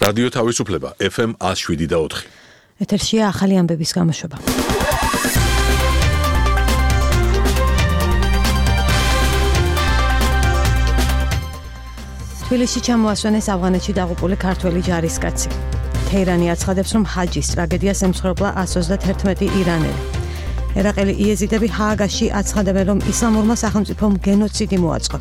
რადიო თავისუფლება FM 107.4. ეთერშია ახალი ამბების გამოშვება. თბილისში ჩამოასვენეს ავღანეთში დაღუპული ქართველი ჯარისკაცი. თეირანი აცხადებს, რომ ჰაჯის ტრაგედიას ემსხვერპლა 131 ირანელი. ერაყელი იეზიდები ჰააგაში აცხადებენ, რომ ისლამურმა სახელმწიფომ გენოციდი მოაწყო.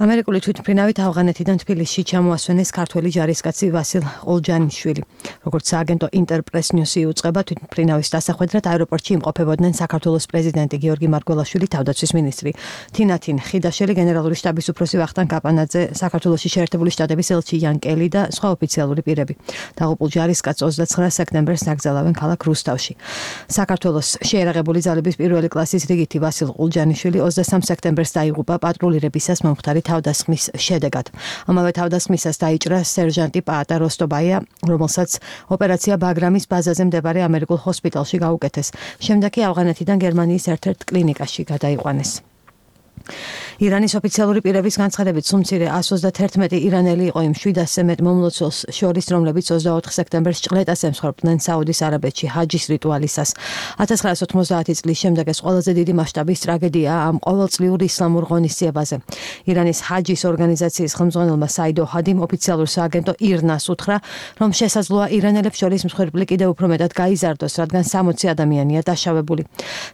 ამერიკული თვითმფრინავით ავღანეთიდან თბილისში ჩამოასვენეს ქართველი ჯარისკაცი ვასილ ყოლჯანიშვილი. როგორც სააგენტო ინტერპრეს ნიუსი იუწყება, თვითმფრინავის დასახვედრად აეროპორტში იმყოფებოდნენ საქართველოს პრეზიდენტი გიორგი მარგველაშვილი, თავდაცვის მინისტრი თინათინ ხიდაშელი, გენერალური შტაბის უფროსი ვახტანგ კაპანაძე, საქართველოში შეერთებული შტატების ელჩი იან კელი და სხვა ოფიციალური პირები. დაღუპულ ჯარისკაცს 29 სექტემბერს დაკრძალავენ ქალაქ რუსთავში. საქართველოს შეერაღებული ძალების პირველი კლასის რიგითი ვასილ ყოლჯანიშვილი 23 სექტემბერს დაიღუპა პატრულირებისას მომხდარი თავდასხმის შედეგად. ამავე თავდასხმისას დაიჭრა სერჟანტი პაატა როსტობაია, რომელსაც ოპერაცია ბაგრამის ბაზაზე მდებარე ამერიკულ ჰოსპიტალში გაუკეთეს. შემდეგ კი ავღანეთიდან გერმანიის ერთ-ერთ კლინიკაში გადაიყვანეს. ირანის ოფიციალური პირების განცხადებით, სულ მცირე 131 ირანელი იყო იმ 700-ზე მეტ მომლოცველს შორის, რომლებიც 24 სექტემბერს ჭყლეტას ემსხვერპლდნენ საუდის არაბეთში ჰაჯის რიტუალისას. 1990 წლის შემდეგ ეს ყველაზე დიდი მასშტაბის ტრაგედიაა ამ ყოველწლიურ ისლამურ ღონისძიებაზე. ირანის ჰაჯის ორგანიზაციის ხელმძღვანელმა საიდ ოჰადიმ ოფიციალურ სააგენტო ირნას უთხრა, რომ შესაძლოა ირანელებს შორის მსხვერპლი კიდევ უფრო მეტად გაიზარდოს, რადგან 60 ადამიანია დაშავებული.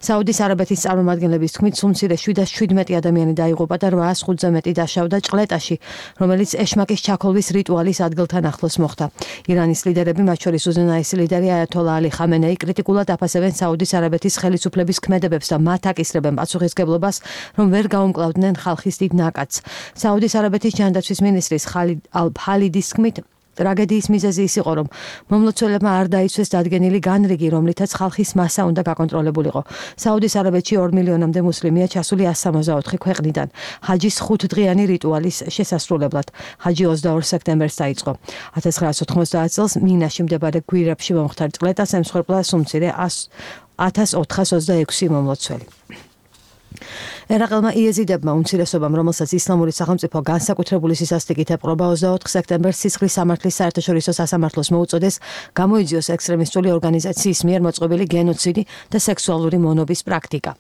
საუდის არაბეთის წარმომადგენლების თქმით, სულ მცირე 717 ადამიანი დაიღუპა და 805-ზე მეტი დაშავდა ჭყლეტაში, რომელიც ეშმაკის ჩაქოლვის რიტუალის ადგილთან ახლოს მოხდა. ირანის ლიდერები, მათ შორის უზენაესი ლიდერი აიათოლა ალი ხამენეი, კრიტიკულად აფასებენ საუდის არაბეთის ხელისუფლების ქმედებებს და მათ აკისრებენ პასუხისგებლობას, რომ ვერ გაუმკლავდნენ ხალხის დიდ ნაკადს. საუდის არაბეთის ჯანდაცვის მინისტრის ხალიდ ალ-ფალიდის თქმით, ტრაგედიის მიზეზი ის იყო, რომ მომლოცველებმა არ დაიცვეს დადგენილი განრიგი, რომლითაც ხალხის მასა უნდა გაკონტროლებულიყო. საუდის არაბეთში 2 მილიონამდე მუსლიმია ჩასული 164 ქვეყნიდან. ჰაჯის 5დღიანი რიტუალის შესასრულებლად. ჰაჯი 22 სექტემბერს დაიწყო. 1990 წელს მინაში მდებარე გვირაბში მომხდარ ჭყლეტას ემსხვერპლა სულ მცირე 1426 მომლოცველი. ერაყელმა იეზიდებმა უმცირესობამ, რომელსაც ისლამური სახელმწიფო განსაკუთრებული სისასტიკით ეპყრობა, 24 სექტემბერს სისხლის სამართლის საერთაშორისო სასამართლოს მოუწოდეს გამოიძიოს ექსტრემისტული ორგანიზაციის მიერ მოწყობილი გენოციდი და სექსუალური მონობის პრაქტიკა.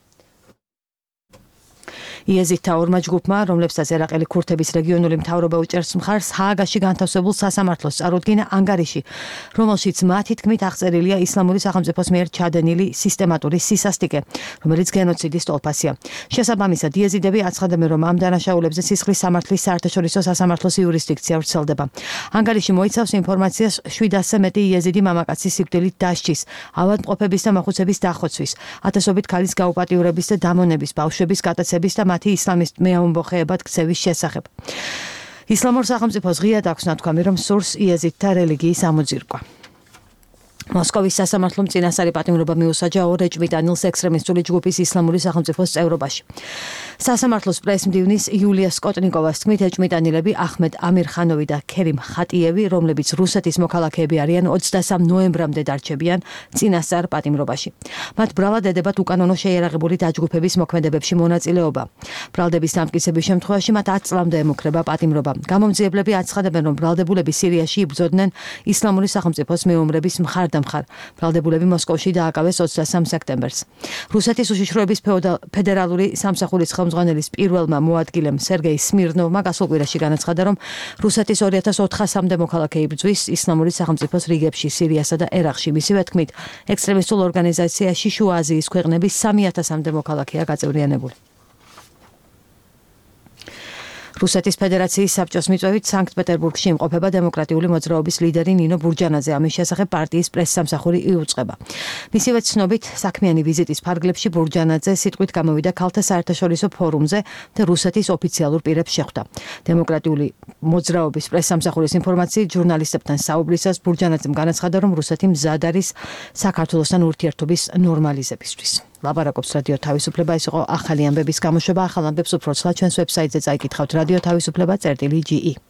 იეზიდთა ორმა ჯგუფმა, რომლებსაც ერაყელი ქურთების რეგიონული მთავრობა უჭერს მხარს, ჰააგაში განთავსებულ სასამართლოს წარუდგინა ანგარიში, რომელშიც მათი თქმით აღწერილია ისლამური სახელმწიფოს მიერ ჩადენილი სისტემატური სისასტიკე, რომელიც გენოციდის ტოლფასია. შესაბამისად, იეზიდები აცხადებენ, რომ ამ დანაშაულებზე სისხლის სამართლის საერთაშორისო სასამართლოს იურისდიქცია ვრცელდება. ანგარიში მოიცავს ინფორმაციას 700-ზე მეტი იეზიდი მამაკაცის სიკვდილით დასჯის, ავადმყოფების და მოხუცების დახოცვის, ათასობით ქალის გაუპატიურების და დამონების, ბავშვების გატაცების და მათი ისლამის მეამბოხეებად ქცევის შესახებ. ისლამურ სახელმწიფოს ღიად აქვს ნათქვამი, რომ სურს იეზიდთა რელიგიის ამოძირკვა. მოსკოვის სასამართლომ წინასწარი პატიმრობა მიუსაჯა ორ ეჭვმიტანილს ექსტრემისტული ჯგუფის ისლამური სახელმწიფოს წევრობაში. სასამართლოს პრესმდივნის იულია სკოტნიკოვას თქმით, ეჭვმიტანილები ახმედ ამირხანოვი და ქერიმ ხატიევი, რომლებიც რუსეთის მოქალაქეები არიან, 23 ნოემბრამდე დარჩებიან წინასწარ პატიმრობაში. მათ ბრალად ედებათ უკანონო შეიარაღებული დაჯგუფების მოქმედებებში მონაწილეობა. ბრალდების დამტკიცების შემთხვევაში მათ 10 წლამდე ემუქრება პატიმრობა. გამომძიებლები აცხადებენ, რომ ბრალდებულები სირიაში იბრძოდნენ ისლამური სახელმწიფოს მეომრების მხარდამხარ. ბრალდებულები მოსკოვში დააკავეს 23 სექტემბერს. რუსეთის უშიშროების ფედერალური სამსახურის ხელმძღვანელის პირველმა მოადგილემ სერგეი სმირნოვმა გასულ კვირაში განაცხადა, რომ რუსეთის 2400-მდე მოქალაქე იბრძვის ისლამური სახელმწიფოს რიგებში სირიასა და ერაყში. მისივე თქმით, ექსტრემისტულ ორგანიზაციაში შუა აზიის ქვეყნების 3000-მდე მოქალაქეა გაწევრიანებული. რუსეთის ფედერაციის საბჭოს მიწვევით სანქტ-პეტერბურგში იმყოფება დემოკრატიული მოძრაობის ლიდერი ნინო ბურჯანაძე. ამის შესახებ პარტიის პრესსამსახური იუწყება. მისივე ცნობით, საქმიანი ვიზიტის ფარგლებში ბურჯანაძე სიტყვით გამოვიდა ქალთა საერთაშორისო ფორუმზე და რუსეთის ოფიციალურ პირებს შეხვდა. დემოკრატიული მოძრაობის პრესსამსახურის ინფორმაციით, ჟურნალისტებთან საუბრისას ბურჯანაძემ განაცხადა, რომ რუსეთი მზად არის საქართველოსთან ურთიერთობის ნორმალიზებისთვის. ლაპარაკობს რადიო თავისუფლება, ეს იყო ახალი ამბების გამოშვება. ახალ ამბებს უფრო ცხრა ჩვენს ვებსაიტზე წაიკითხავთ radio-tavisupleba.ge